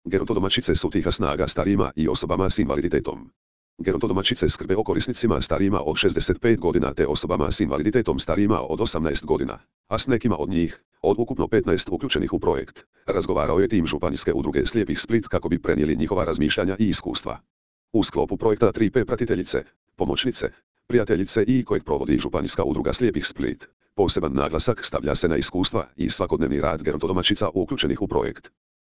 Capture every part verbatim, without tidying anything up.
Gerontodomaćice su tiha snaga starijima i osobama s invaliditetom. Gerontodomaćice skrbe o korisnicima starijima od šezdeset pet godina te osobama s invaliditetom starijima od osamnaest godina, a s nekima od njih, od ukupno petnaest uključenih u projekt, razgovarao je tim Županijske udruge slijepih Split kako bi prenijeli njihova razmišljanja i iskustva. U sklopu projekta tri P pratiteljice, pomoćnice, prijateljice i kojeg provodi Županijska udruga slijepih Split, poseban naglasak stavlja se na iskustva i svakodnevni rad gerontodomaćica uključenih u projekt.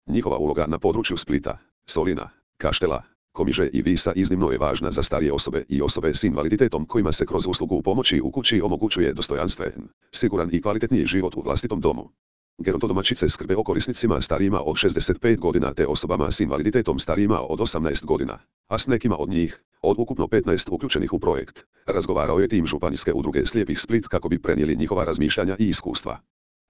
Njihova uloga na području Splita, Solina, Kaštela, Komiže i Visa iznimno je važna za starije osobe i osobe s invaliditetom kojima se kroz uslugu pomoći u kući omogućuje dostojanstven, siguran i kvalitetniji život u vlastitom domu. Gerontodomaćice skrbe o korisnicima starijima od šezdeset pet godina te osobama s invaliditetom starijima od osamnaest godina, a s nekima od njih, od ukupno petnaest uključenih u projekt, razgovarao je tim Županijske udruge slijepih Split kako bi prenijeli njihova razmišljanja i iskustva.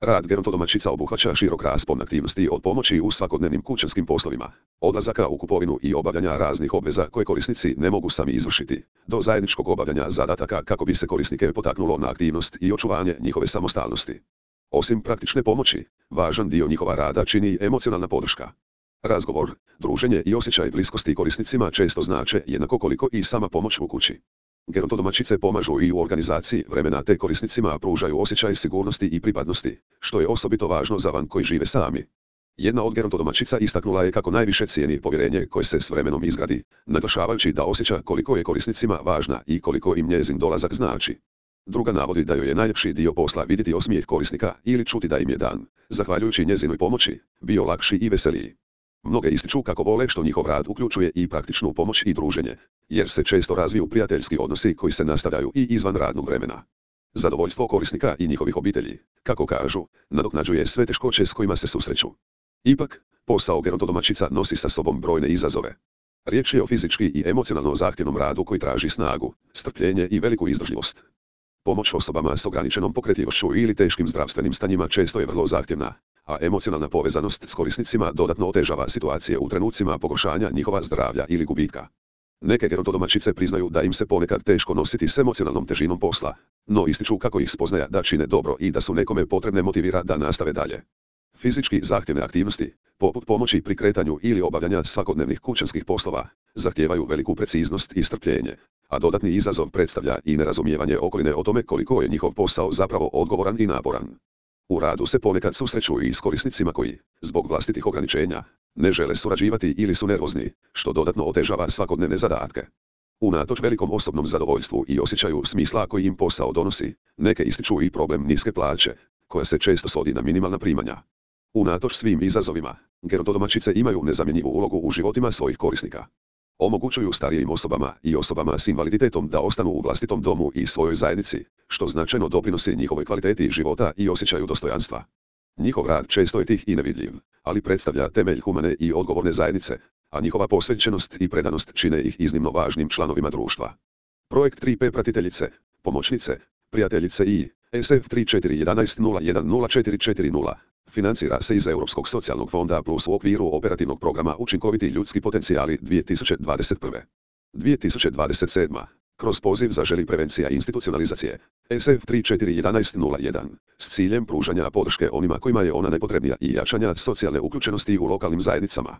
Rad gerontodomaćica obuhvaća širok raspon aktivnosti od pomoći u svakodnevnim kućanskim poslovima, odlazaka u kupovinu i obavljanja raznih obveza koje korisnici ne mogu sami izvršiti, do zajedničkog obavljanja zadataka kako bi se korisnike potaknulo na aktivnost i očuvanje njihove samostalnosti. Osim praktične pomoći, važan dio njihova rada čini i emocionalna podrška. Razgovor, druženje i osjećaj bliskosti korisnicima često znače jednako koliko i sama pomoć u kući. Gerontodomaćice pomažu i u organizaciji vremena te korisnicima pružaju osjećaj sigurnosti i pripadnosti, što je osobito važno za van koji žive sami. Jedna od gerontodomaćica istaknula je kako najviše cijeni povjerenje koje se s vremenom izgradi, naglašavajući da osjeća koliko je korisnicima važna i koliko im njezin dolazak znači. Druga navodi da joj je najljepši dio posla vidjeti osmijeh korisnika ili čuti da im je dan, zahvaljujući njezinoj pomoći, bio lakši i veseliji. Mnoge ističu kako vole što njihov rad uključuje i praktičnu pomoć i druženje, jer se često razviju prijateljski odnosi koji se nastavljaju i izvan radnog vremena. Zadovoljstvo korisnika i njihovih obitelji, kako kažu, nadoknađuje sve teškoće s kojima se susreću. Ipak, posao gerontodomaćica nosi sa sobom brojne izazove. Riječ je o fizički i emocionalno zahtjevnom radu koji traži snagu, strpljenje i veliku izdržljivost. Pomoć osobama s ograničenom pokretljivošću ili teškim zdravstvenim stanjima često je vrlo zahtjevna, a emocionalna povezanost s korisnicima dodatno otežava situacije u trenucima pogoršanja njihova zdravlja ili gubitka. Neke gerontodomaćice priznaju da im se ponekad teško nositi s emocionalnom težinom posla, no ističu kako ih spoznaja da čine dobro i da su nekome potrebne motivira da nastave dalje. Fizički zahtjevne aktivnosti, poput pomoći pri kretanju ili obavljanja svakodnevnih kućanskih poslova, zahtijevaju veliku preciznost i strpljenje, a dodatni izazov predstavlja i nerazumijevanje okoline o tome koliko je njihov posao zapravo odgovoran i naporan. U radu se ponekad susreću i s korisnicima koji, zbog vlastitih ograničenja, ne žele surađivati ili su nervozni, što dodatno otežava svakodnevne zadatke. Unatoč velikom osobnom zadovoljstvu i osjećaju smisla koji im posao donosi, neke ističu i problem niske plaće, koja se često svodi na minimalna primanja. Unatoč svim izazovima, gerontodomaćice imaju nezamjenjivu ulogu u životima svojih korisnika. Omogućuju starijim osobama i osobama s invaliditetom da ostanu u vlastitom domu i svojoj zajednici, što značajno doprinosi njihovoj kvaliteti života i osjećaju dostojanstva. Njihov rad često je tih i nevidljiv, ali predstavlja temelj humane i odgovorne zajednice, a njihova posvećenost i predanost čine ih iznimno važnim članovima društva. Projekt tri P pratiteljice, pomoćnice, prijateljice i S F tri četiri jedan jedan nula jedan nula četiri četiri nula financira se iz Europskog socijalnog fonda plus u okviru operativnog programa Učinkoviti ljudski potencijali dvije tisuće dvadeset prve. dvije tisuće dvadeset sedme. Kroz poziv Zaželi prevencija institucionalizacije S F tri četiri jedan jedan nula jedan s ciljem pružanja podrške onima kojima je ona najpotrebnija i jačanja socijalne uključenosti u lokalnim zajednicama.